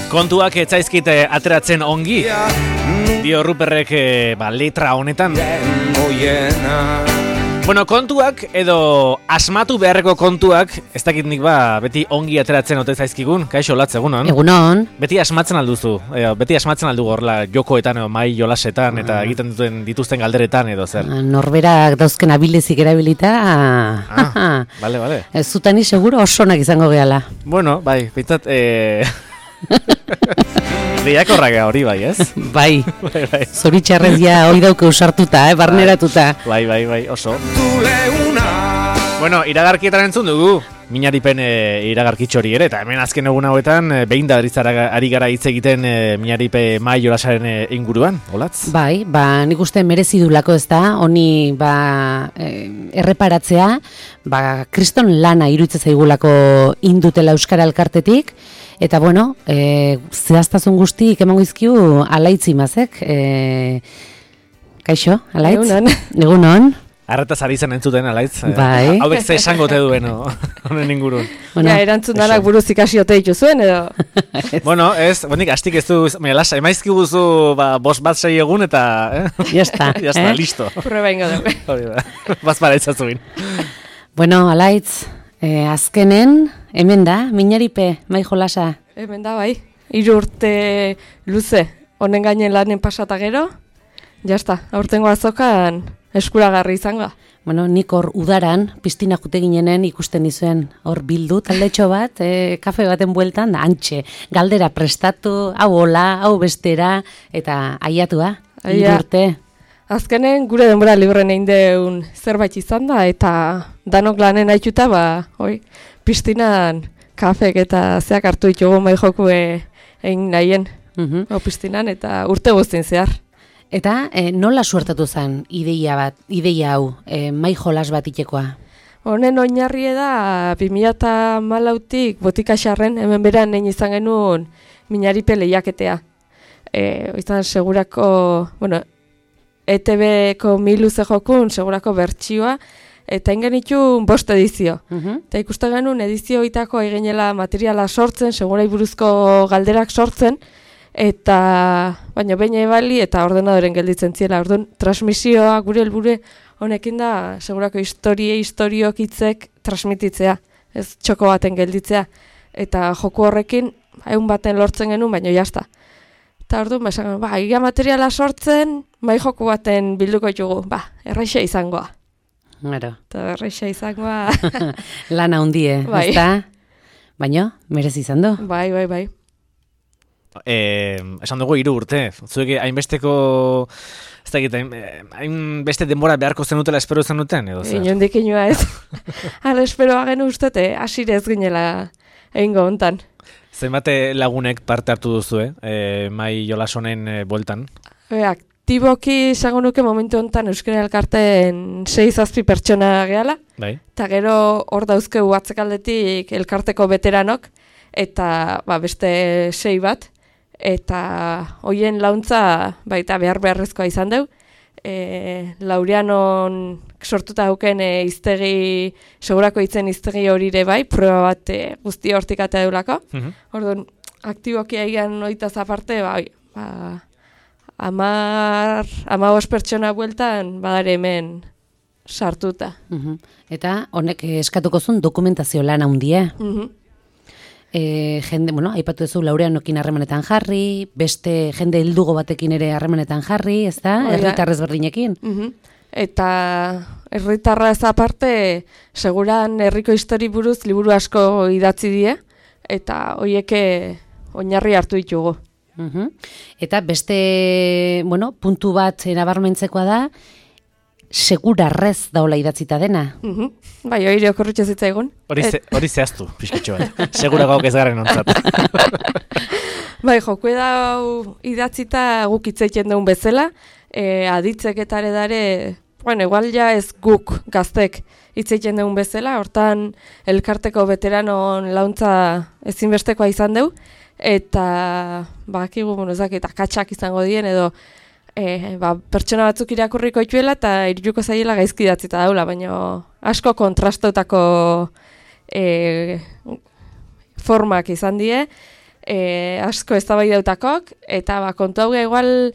Kontuak etzaizkite ateratzen ongi, dio Ruperrek letra honetan. Bueno, kontuak edo asmatu beharreko kontuak, ez dakit nik beti ongi ateratzen ote zaizkigun, kaixo Latz, egunon? Egunon. Beti asmatzen alduzu, beti asmatzen aldu horla jokoetan edo mai jolasetan eta egiten dituzten galderetan edo zer. Norberak dauzken abilezik erabilita. Bale. Ez zutani seguro osonak izango gehala. Bueno, bai, pintzat, lehiakorrak hori bai, ez? Bai, zoritxarrez ja hori dauke usartuta, barneratuta. Bai, oso. Bueno, iragarkietan entzun dugu, Miñaripen iragarkitxo hori ere, eta hemen azken egun hauetan, behin da ari gara hitz egiten Miñaripe mai jolasaren inguruan, Olatz? Bai, nik uste merezi dulako ez da, honi erreparatzea, kriston lana iruditzen zaigulako indutela Euskara Elkartetik, eta bueno, zehaztasun guztik emango izkiu Alaitz Imazek. Kaixo, Alaitz? Egunon. Arretaz ari zen entzuten, Alaitz. Bai. Hauek ze esango te duen, honen ingurun. Bueno, erantzun danak buruz ikasi ote dituzuen, edo? Bueno, ez, bonik, astik ez du, emaizki guzu, bost bat 6 egun, eta... Jazta, listo. Prueba ingo dugu. Hori da, bazpara itzazuin. Bueno, Alaitz, azkenen, hemen da, Miñaripe, mai jolasa? Hemen da, bai. 3 urte luze, honen gainen lanen pasata gero, jazta, aurtengo azokan eskuragarri izango. Bueno, nik hor udaran, piztina jute ginenen ikusten izuen, hor bildu, taldetxo bat, kafe baten bueltan, da, antxe, galdera prestatu, hau hola, hau bestera, eta aiatua, 3 urte. Azkenen gure denbora libren egin deun zerbait izan da, eta danok lanen haituta, piztinan kafek eta zeak hartu ditugu mai joku egin nahien, piztinan, eta urte guztien zehar. Eta nola suertatu zen ideia hau, mai jolas bat itekoa? Honen oinarri da 2014tik Botikaxarren hemen beran egin izan genuen Miñaripe lehiaketea. Izan segurako, ETB-ko 1000 luze jokun segurako bertsioa, eta egin genitun 5 edizio. Eta ikusten genuen edizio itako eginela materiala sortzen, segurai buruzko galderak sortzen, eta baina behin ebali eta ordenadoren gelditzen ziela. Orduan, transmisioa gure helburu honekin da, segurako historiok hitzek transmititzea, ez txoko baten gelditzea. Eta joku horrekin, 100 baten lortzen genuen, baina jazta. Eta orduan, esan, ia materiala sortzen, mai joku baten bilduko ditugu, erraixa izangoa. Gero. Eta erraixa izangoa... Lana hundie, ezta? Baina, merezi izan du? Bai. Esan dugu 3 urte, zuek hainbesteko, ez da egiten, hainbeste denbora beharko zenutela espero zenuten, edo zer? Inondik inoa ez. Hala esperoa genu ustete, asire ez ginela egingo hontan. Zenbate lagunek parte hartu duzu, mai jolasonen bueltan? Aktiboki esango nuke momentu hontan Euskara Elkarteen 6-7 pertsona gehala, eta gero hor dauzkegu atzekaldetik elkarteko veteranok, eta beste 6 bat, eta hoien launtza baita beharrezkoa izan deu. Laureanon sortuta hauken iztegi, segurako hitzen iztegi horire bai, proba bat guzti hortik atea deulako. Orduan, aktiboki egin oitaz aparte, 15 pertsona bueltan badare hemen sartuta. Eta honek eskatuko zuen dokumentazio lan handia. Jende, aipatu duzu Laureanokin harremanetan jarri, beste jende heldugo batekin ere harremanetan jarri, ez da? Herritarrez berdinekin. Eta herritarra ez aparte, seguran herriko histori buruz liburu asko idatzi die, eta hoieke oinarri hartu ditugu. Eta beste, puntu bat nabarmentzekoa da, segurarrez daola idatzita dena. Bai, hori okorritxe zitzaigun. Hori zehaztu, pixketxo bat. Segurako ez garen ontzat. Bai, joku edau idatzita guk itzaiten duen bezala, aditzek eta dare, igual ja ez guk gaztek itzaiten duen bezala, hortan elkarteko veteranon launtza ezinbestekoa izan deu, eta bakigu, eta katxak izango dien, edo pertsona batzuk irakurriko ituela eta iruko zaiela gaizki idatzita daula, baina asko kontrastotako formak izan die, asko eztabaidatakok, eta kontu hau igual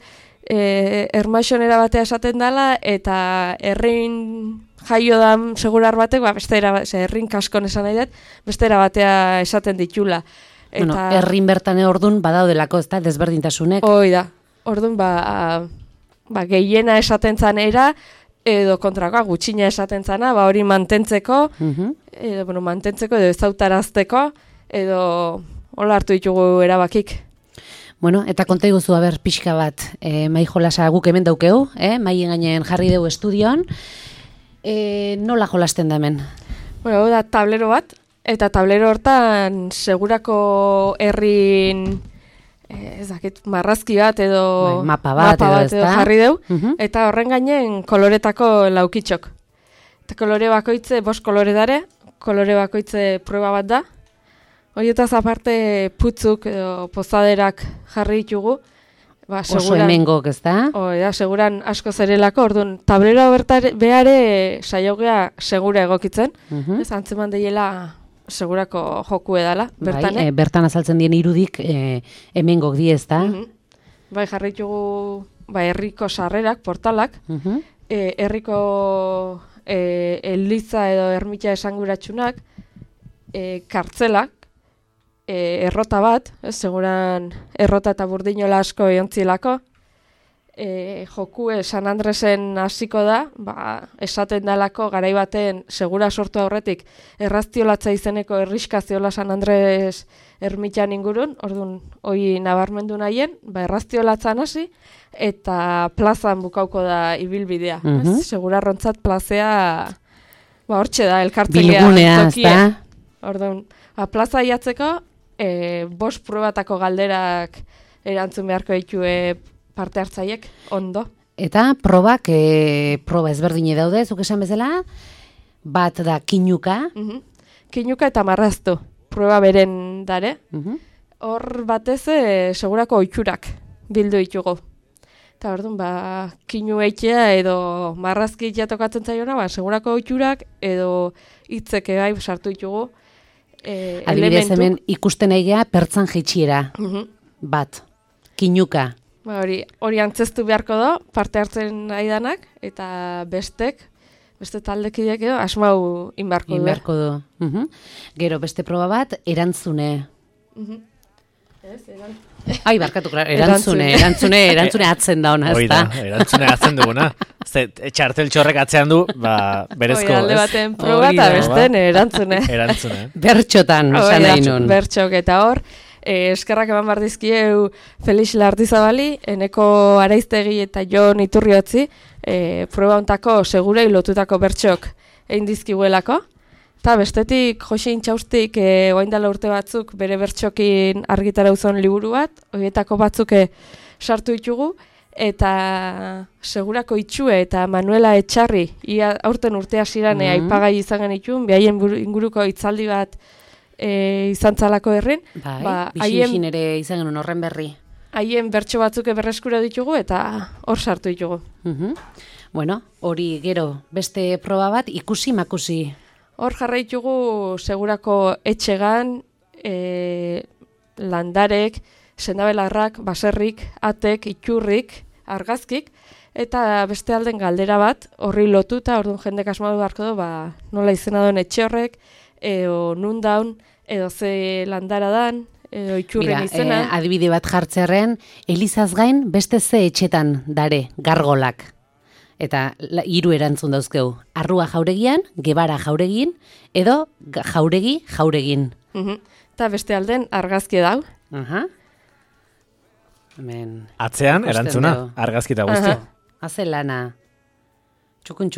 ermaixonera batea esaten dela, eta herrin jaio da segurar batek, herrin kaskon esan nahi dut, bestera batea esaten ditula. Bueno, herrin bertan ordun badaudelako, ez da, desberdintasunek. Hoi da, ordun gehiena esaten zanera, edo kontrakoa gutxina esaten zana, hori mantentzeko, mantentzeko edo ezautarazteko, edo hola hartu ditugu erabakik. Bueno, eta konta iguzu, pixka bat, mai jolasa guk hemen daukeu, mai gainen jarri dugu estudioan, nola jolasten da hemen? Bueno, da tablero bat, eta tablero hortan segurako herrin marrazki bat edo mapa bat edo jarri deu, eta horren gainen koloretako laukitxok. Eta kolore bakoitze, 5 kolore dare, kolore bakoitze prueba bat da. Horietaz aparte putzuk edo pozaderak jarri ditugu. Oso hemengok, ez da? Seguran asko zerelako, orduan, tablero behare saiogea segura egokitzen. Ez antzeman deiela segurako joku edala, bertan. Bertan azaltzen dien irudik hemengok di, ez da? Jarri ditugu herriko sarrerak, portalak, herriko eliza edo ermita esanguratsunak, kartzelak, errota bat, seguran errota eta burdinola asko eontzilako, jokue San Andresen hasiko da, esaten dalako garai baten segura sortu aurretik erraztiolatza izeneko erriskaziola San Andres ermitan ingurun, orduan hoi nabarmendu nahien, erraztiolatzan hasi, eta plazan bukauko da ibilbidea. Segura rontzat plazea, hortxe da, elkartzelea bilgunea, ez da? Orduan, plaza iatzeko, 5 probatako galderak erantzun beharko ditue parte hartzaiek, ondo. Eta probak, proba ezberdine daude, zuk esan bezala, bat da kinuka. Kinuka eta marraztu, proba beren dare. Hor batez, segurako oiturak bildu ditugu. Eta orduan, kinu eitea edo marrazki itea tokatzen zaiona, segurako oiturak edo hitzeke sartu ditugu. Adibidez hemen ikusten egea pertzan jeitsiera bat, kinuka. Hori antzestu beharko do, parte hartzen aidanak, eta beste taldekideak edo asmau inbarko du. Gero beste proba bat, erantzune. Barkatu, erantzune atzen da ona, ez da? Erantzune atzen duguna. Txartel txorrek atzean du, berezko. Alde baten proba eta besten erantzune. Bertxotan, esan nahi nun. Bertxok eta hor, eskerrak eman bardizkieu Felix Lardizabali, eneko Araiztegi eta Jon Iturriotzi, proba ontako segurei lotutako bertxok egin dizkiguelako. Eta bestetik, Jose Intxaustik oaindala urte batzuk bere bertxokin argitara uzon liburu bat, horietako batzuk sartu ditugu, eta segurako itxue eta Manuela Etxarri, aurten urte hasieran aipagai izan genitun, behaien inguruko hitzaldi bat izan zalako herrin. Bixin ere izan genuen horren berri. Haien bertso batzuk berreskura ditugu eta hor sartu ditugu. Bueno, hori gero beste proba bat ikusi-makusi. Hor jarraitugu segurako etxegan, landarek, sendabelarrak, baserrik, atek, iturrik, argazkik, eta beste alden galdera bat, horri lotuta, orduan jendek asmatu beharko du, nola izena duen etxe horrek, edo nundaun, edo ze landara dan, edo iturren izena. Adibide bat jartzerren, Elizaz gain beste ze etxetan dare, gargolak. Eta 3 erantzun dauzkeu. Arrua jauregian, Gebara jauregin, edo jauregin. Eta beste alden argazki dau. Atzean, erantzuna, argazki eta guzti. Haze lana. Txukun,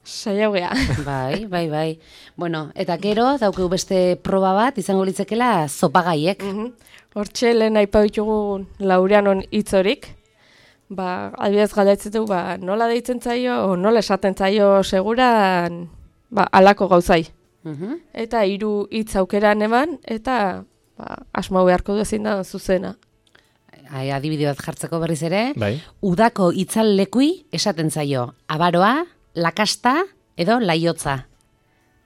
Saiaugea. Bai. Bueno, eta gero, daukeu beste proba bat, izango litzekela zopagaiek. Hortxe, lehen aipa ditugu Laureanon hitzorik. Adibidez galdetzen du, nola deitzen zaio, o nola esaten zaio seguran, alako gauzai. Eta 3 hitz aukeran eman, eta asmau beharko du ezin da zuzena. Adibide bat jartzeko berriz ere, udako itzal lekui esaten zaio, abaroa, lakasta edo laiotza.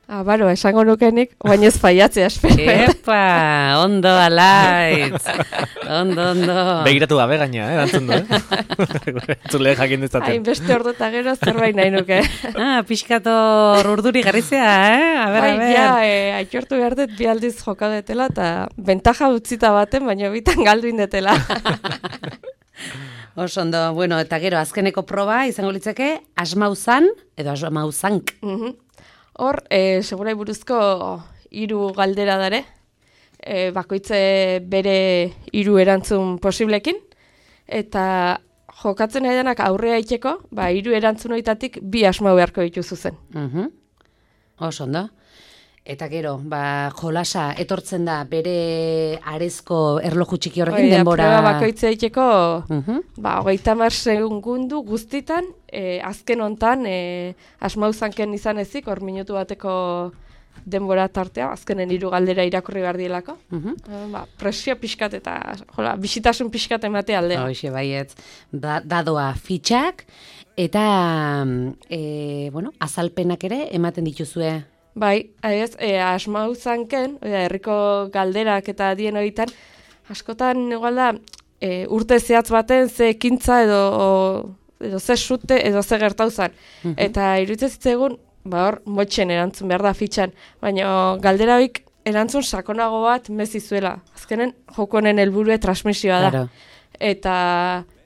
Baro, esango nukenik, baina ez faiatzea espero. Epa, ondo, alaitz. Ondo. Begiratu gabe gaina, erantzun du, Entzule jakin dezaten. Hainbeste ordu eta gero zerbait nahi nuke. Piskator urduri garrizea, A ber. Ja, aitortu behar dut bi aldiz joka detela, eta bentaja utzita baten, baina bitan galdu indetela. Oso ondo, bueno, eta gero azkeneko proba izango litzeke asmauzan edo asmauzank. Hor, segurai buruzko 3 galdera dare, bakoitze bere 3 erantzun posiblekin, eta jokatzen nahi denak aurrea itxeko, 3 erantzun horietatik 2 asmau beharko dituzu zen. Oso ondo. Eta gero, jolasa etortzen da bere arezko erloju txiki horrekin denbora. Proba bakoitze itxeko, 30 segundu guztitan, azken hontan, asmauzanken izan ezik, hor minutu bateko denbora tartea, azkenen 3 galdera irakurri behar dielako. Presio pixkat eta bisitasun pixkat emate alde. Hoxe, baietz. Dadoa fitxak eta azalpenak ere ematen dituzue. Bai, asmauzanken, herriko galderak eta dien horietan, askotan igual da, urte zehatz baten ze ekintza edo ze sute edo ze gertauzan. Eta iruditzen zitzaigun, hor motxen erantzun behar da fitxan, baina galdera hoik erantzun sakonago bat mezizuela. Azkenen jokonen helburue transmisioa da. Claro. Eta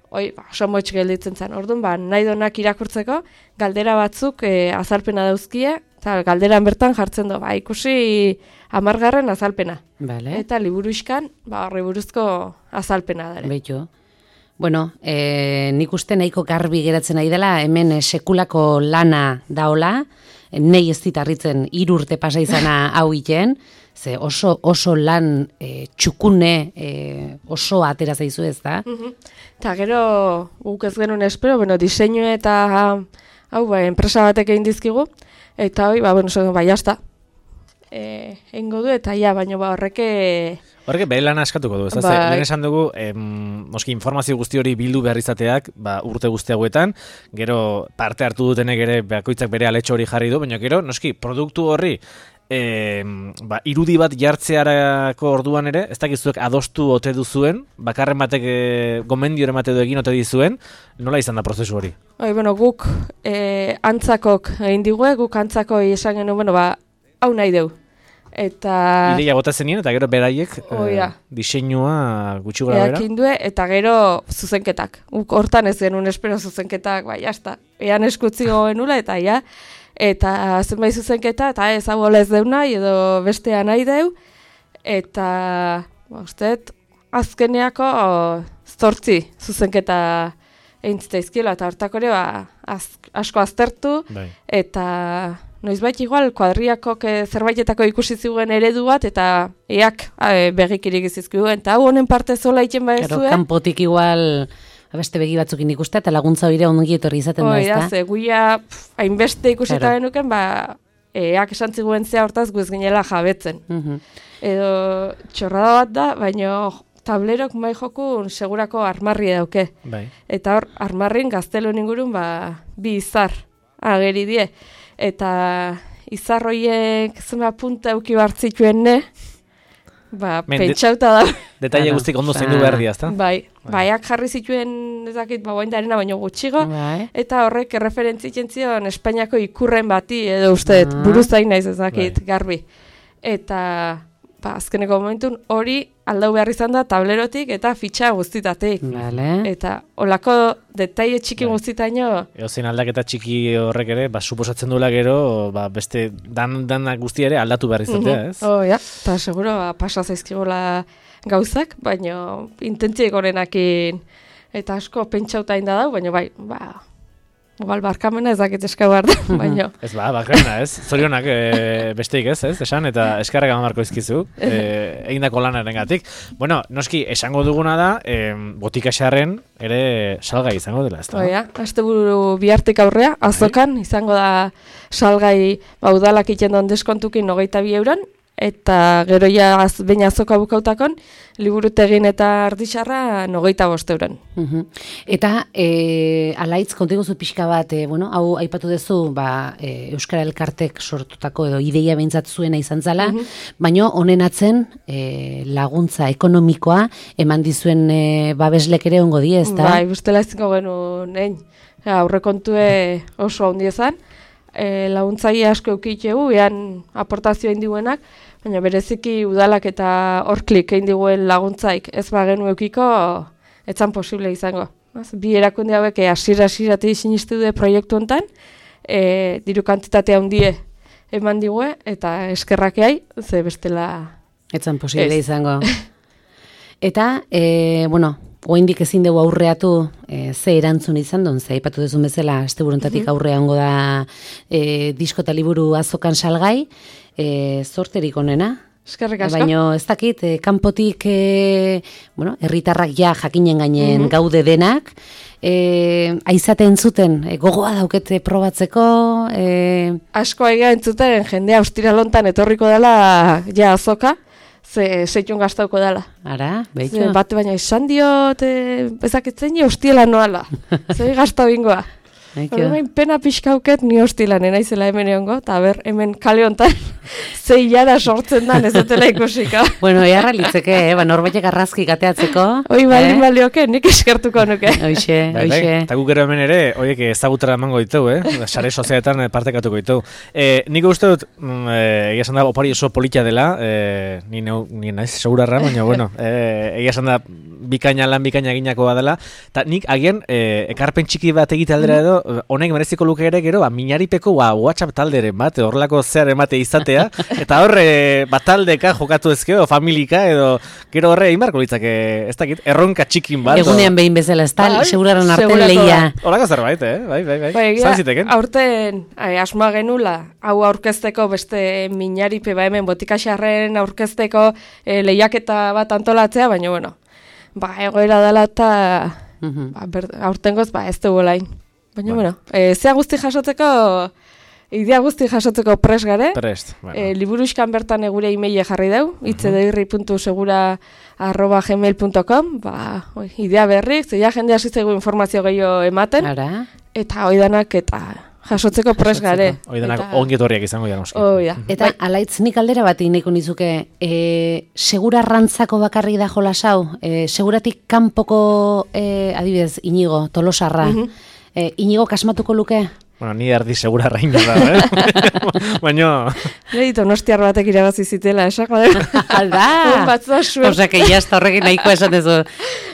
oso motx gelditzen zen. Orduan, nahi donak irakurtzeko, galdera batzuk azalpena dauzkie, eta galderan bertan jartzen du, ikusi 10. azalpena. Vale. Eta liburu iskan, horri buruzko azalpena dara. Beitu. Bueno, nik uste nahiko garbi geratzen nahi dela, hemen sekulako lana daola, nei ez ditarritzen 3 urte pasa izana hau iten, ze oso lan txukune oso atera zaizu ez da. Eta gero guk ez genuen espero, diseinu eta hau enpresa batek egin dizkigu, eta jazta. Eingo du eta baina horreke... Horreke bere lan askatuko du, ez da? Lehen esan dugu, moski informazio guzti hori bildu behar izateak, urte guzti hauetan, gero parte hartu dutenek ere bakoitzak bere aletxo hori jarri du, baina gero, noski, produktu horri, irudi bat jartzearako orduan ere, ez dakizuek adostu ote duzuen, bakarren batek gomendio emate du egin ote dizuen, nola izan da prozesu hori? Guk antzakok egin digue, guk antzakoi esan genuen, hau nahi deu. Eta... Ideia bota zenien, eta gero beraiek diseinua gutxi gora bera. Eakindue, eta gero zuzenketak. Guk hortan ez genuen espero zuzenketak, jazta. Ean eskutzi gogenula, eta eta zenbait zuzenketa, eta ez hau ez deu nahi, edo bestea nahi deu, eta usteet, azkeneako 8 zuzenketa egin zitzaizkiela, eta hortako ere asko aztertu, eta noizbait igual kuadriakok zerbaitetako ikusi ziguen eredu bat, eta begikirik izizkiguen, eta hau honen parte zola iten baezue. Kanpotik igual... Beste begi batzukin ikuste eta laguntza hori ongi etorri izaten da, ezta? Ze guia hainbeste ikusita genuken, esan ziguen zea hortaz guez ginela jabetzen. Edo txorrada bat da, baina tablerok mai jokun segurako armarri dauke. Eta hor, armarrin gaztelo ingurun 2 izar ageri die. Eta izar horiek zema punta euki bartzituen ne, pentsauta da. Detaile guztik ondo zein du behar dia, ezta? Baiak jarri zituen, ezakit, boindarena baino gutxigo, eta horrek referentzitzen zion Espainiako ikurren bati, edo uste, buruzain naiz ezakit, garbi. Eta, azkeneko momentun hori aldau behar izan da tablerotik eta fitxa guztitatik. Eta olako detaile txiki guztitaino... Eozein aldaketa txiki horrek ere, suposatzen duela gero, beste danak guzti ere aldatu behar izatea, ez? Eta seguro pasa zaizkigola gauzak, baina intentziek horenakin eta asko pentsauta inda dau, baina igual barkamena ez dakit eskau behar da, baina... Ez barkamena ez, zorionak besteik ez, esan, eta eskarrak amarko izkizu, egindako lanaren gatik. Bueno, noski, esango duguna da, botika xarren ere salgai izango dela, ez da? Asteburu bihartik aurrea, azokan, izango da salgai udalak iten don deskontukin 22 €, eta gero ja behin azoka bukautakon, liburutegin eta ardixarra 25 euren. Eta alaitz kontiguzu pixka bat, hau aipatu duzu, Euskara Elkartek sortutako edo ideia behintzat zuena izan zala, baina honen atzen laguntza ekonomikoa eman dizuen babeslek ere ongo die, ezta? Bai, bestela ezko genuen, aurrekontue oso handi ezan, laguntzaile asko eukitxegu, ean aportazioa indibuenak, baina bereziki udalak eta horklik egin diguen laguntzaik ez bagenu eukiko, etzan posible izango. Bi erakunde hauek hasieratik sinistu du proiektu hontan, diru kantitatea handie eman digue, eta eskerrakeai, ze bestela... Etzan posible izango. Eta, oraindik ezin dugu aurreatu ze erantzun izan duen, ze aipatu duzun bezala, asteburuntatik aurrea hongo da disko eta liburu azokan salgai, zorterik onena. Eskerrik asko. Baina ez dakit, kanpotik, herritarrak ja jakinen gainen gaude denak, aizaten zuten, gogoa daukete probatzeko... Asko aiga entzuten, jendea ostiralontan etorriko dela ja azoka, zeitun gaztauko dela. Ara, behitxo. Bate baina izan diot, ezakitzen hostiela noala. Zei gaztau bingoa. Horrein pena pixkauket ni hostilanen naizela hemen egongo, eta hemen kale honetan zei jara sortzen dan ez dutela ikusika. Bueno, eharra litzeke, norbaitek arrazki gateatzeko. Hoi baldin balioke, nik eskertuko nuke. Hoxe. Eta guk ero hemen ere, horiek ezagutara emango ditugu, sare sozialetan partekatuko ditugu. Nik uste dut, egia esan da, opari oso politia dela, ni naiz segurarra, baina, egia esan da, bikaina eginakoa dela, eta nik agian ekarpen txiki bat egite aldera edo, honek mereziko luke ere gero, minaripeko WhatsApp talderen bat, horrelako zear emate izatea, eta horre bataldeka jokatu ezkeo, familika, edo gero horre imarko litzake, ez dakit, erronka txikin bat. Egunean behin bezala, ez da, seguraron arten lehia. Horako zerbait, bai. Zantziteken. Aurten, asmoa genula, hau aurkezteko beste minaripe, hemen botikaxarren aurkezteko lehiaketa bat antolatzea, baina, egoera dela eta aurtengoz, ez dugu lain. Baina, idea guzti jasotzeko pres gare. Prest, Liburuzkan bertan gure emaile jarri dau, itzedeirri.segura@gmail.com, idea berrik, zeia jendea zitzaigu informazio gehiago ematen, eta oidanak eta jasotzeko pres gare. Oidanak ongetorriak izango dira noski. Eta alaitz nik aldera bat ineko nizuke, segura rantzako bakarri da jolasau, seguratik kanpoko, adibidez, Inigo, Tolosarra, Inigo kasmatuko luke? Bueno, ni erdi segura raina da, baina... Leito, nostiar batek irabazi zitela, esako da. Alda! Osa, que jazta horrekin nahiko esan dezu.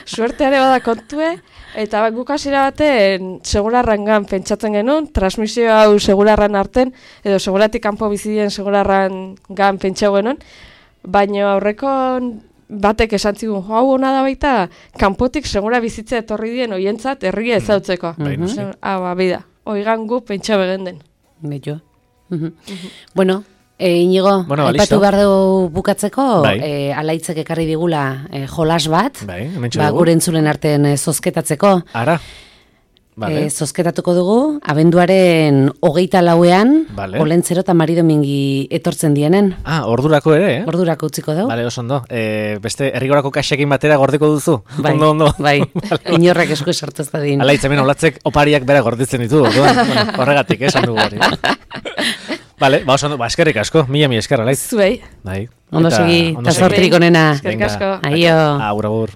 Suerteare bada kontue, eta guk hasiera baten segurarrangan pentsatzen genuen, transmisio hau segurarran arten, edo seguratik kanpo bizidien segurarrangan pentsau genuen, baina aurreko batek esan zigun, hau hona da baita, kanpotik segura bizitza etorri dien oientzat herria ezautzeko. Bida. Oigan gu pentsa begenden. Beto. Bueno, Inigo, aipatu behar dugu bukatzeko, alaitzek ekarri digula jolas bat, gure entzulen artean zozketatzeko. Ara. Zozketatuko dugu, abenduaren 24ean, Olentzero eta Mari Domingi etortzen dienen. Ordurako ere, Ordurako utziko dugu. Bale, oso ondo. Beste herrigorako kaxekin batera gordiko duzu? Ondo. Bai, inorrak esku esartu ez da din. Alaitz, hemen olatzek opariak bera gorditzen ditu, horregatik, esan dugu hori. Bale, oso ondo, eskerrik asko, mila esker, alaitz. Zuei. Ondo segi, eta zortrik onena. Eskerrik asko. Aio. Agur.